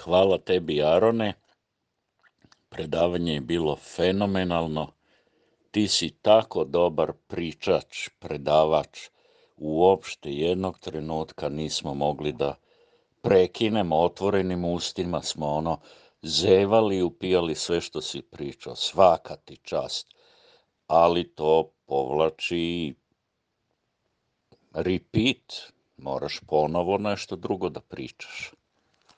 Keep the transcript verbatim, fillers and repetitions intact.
Hvala tebi, Arone. Predavanje je bilo fenomenalno. Ti si tako dobar pričač, predavač. Uopšte jednog trenutka nismo mogli da prekinemo, otvorenim ustima smo ono zevali i upijali sve što si pričao. Svaka ti čast. Ali to povlači repeat. Moraš ponovo nešto drugo da pričaš.